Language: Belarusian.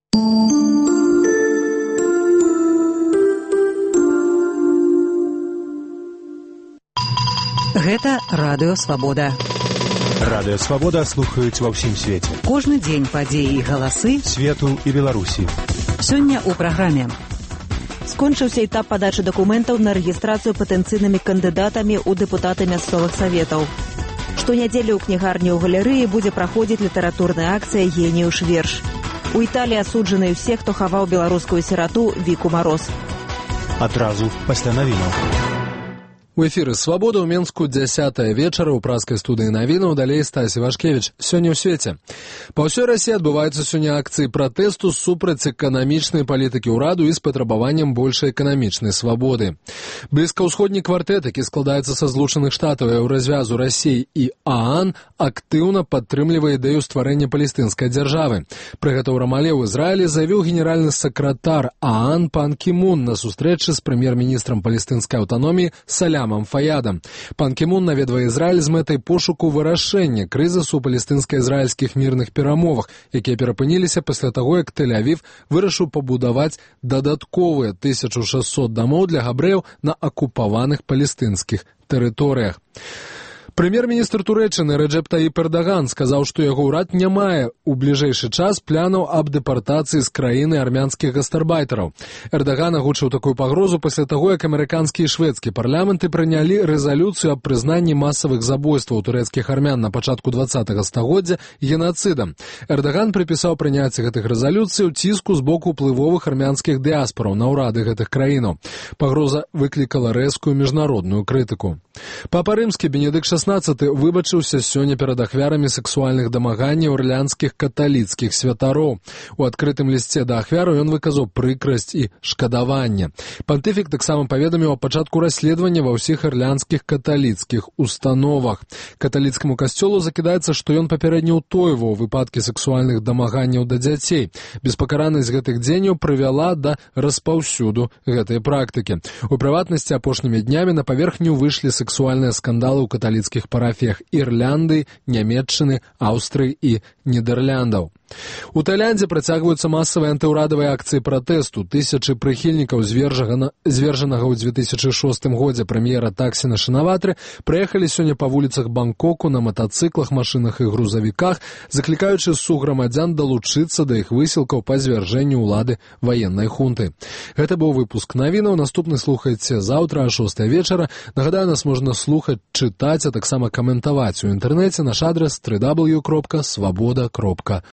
Гэта Радыё Свабода. Радыё Свабода слухаюць ва ўсім свеце. Кожны дзень падзеі і галасы свету і Беларусі. Сёння ў праграме. Скончыўся этап падачы дакументаў на рэгістрацыю патэнцыйнымі кандыдатамі ў дэпутаты мясцовых саветаў. Штонядзелю ў кнігарні ў галерэі будзе праходзіць літаратурная акцыя «Геніюш верш». У Італіі асуджаны ўсе, хто хаваў беларускую сірату Віку Мароз. Адразу пасля навінаў. У эфіры «Свабода» ў Менску 10 вечара ў праскай студыі навінаў, далей Стасі Вашкевіч. Сёння ў свеце. Па ўсёй Расіі адбываюцца сёння акцыі пратэсту супраць эканамічнай палітыкі ўраду і з патрабаваннем большай эканамічнай свабоды. Блізкаўсходні квартэт, які складаецца са Злучаных Штатаў і развязу Расіі і ААН, актыўна падтрымлівае ідэю стварэння палестынскай дзяржавы. Пры гэта ў Рамале ў Ізраілі заявіў генеральны сакратар ААН Пан Кі Мун на сустрэчы з прэм'ер-міністрам палестынскай аўтаноміі Салямам Фаядам. Пан Кі Мун наведвае Ізраіль з мэтай пошуку вырашэння крызісу ў палестынска-ізраільскіх мірных перамовах, якія перапыніліся пасля таго, як Тель-Авів вырашыў пабудаваць дадатковыя 1600 дамоў для габрэяў на акупаваных палестынскіх тэрыторыях. Прэм'ер-міністр Турэччыны Рэджэп Таіп Эрдаган сказаў, што яго ўрад не мае ў бліжэйшы час планаў аб дэпартацыі з краіны армянскіх гастарбайтараў. Эрдаган агучыў такую пагрозу пасля таго, як амерыканскі і шведскі парламенты прынялі рэзалюцыю аб прызнанні масавых забойстваў турэцкіх армян на пачатку 20-го стагоддзя генацыдам. Эрдаган прыпісаў прыняцце гэтых рэзалюцыяў ціску з боку ўплывовых армянскіх дыаспараў на ўрады гэтых краінаў. Пагроза выклікала рэзкую міжнародную крытыку. Папа рымскі Бенедыкт XVI выбачыўся сёння перад ахвярамі сексуальных дамаганняў ірландскіх каталіцкіх святароў. У адкрытым лісце да ахвяраў ён выказаў прыкрасць і шкадаванне. Пантыфік таксама паведаміў о пачатку расследавання ва ўсіх ірландскіх каталіцкіх установах. Каталіцкаму касцёлу закідаецца, што ён папярэдне ўтойваў выпадкі сексуальных дамаганняў да дзяцей. Беспакаранасць гэтых дзеянняў прывяла да распаўсюду гэтай практыкі. У прыватнасці апошнімі днямі на паверхню выйшлі сексуальныя скандалы ў каталіцкіх парафіях Ірландыі, Нямецчыны, Аўстрыі і Нідэрляндаў. У Таіландзе працягваюцца масавыя антыўрадавыя акцыі пратэсту. Тысячы прыхільнікаў звержанага ў 2006 годзе прэм'ера Таксіна Шынаватры прыехалі сёння па вуліцах Бангкоку на матацыклах, машынах і грузавіках, заклікаючы сugрамадзян далучыцца да іх высілкаў па звяржэнню ўлады ваеннай хунты. Гэта быў выпуск навінаў. Наступны слухайце заўтра о 6 вечара. Нагадаю, нас можна слухаць, чытаць, а таксама каментаваць у інтэрнэце. Наш адрес www.swaboda.org.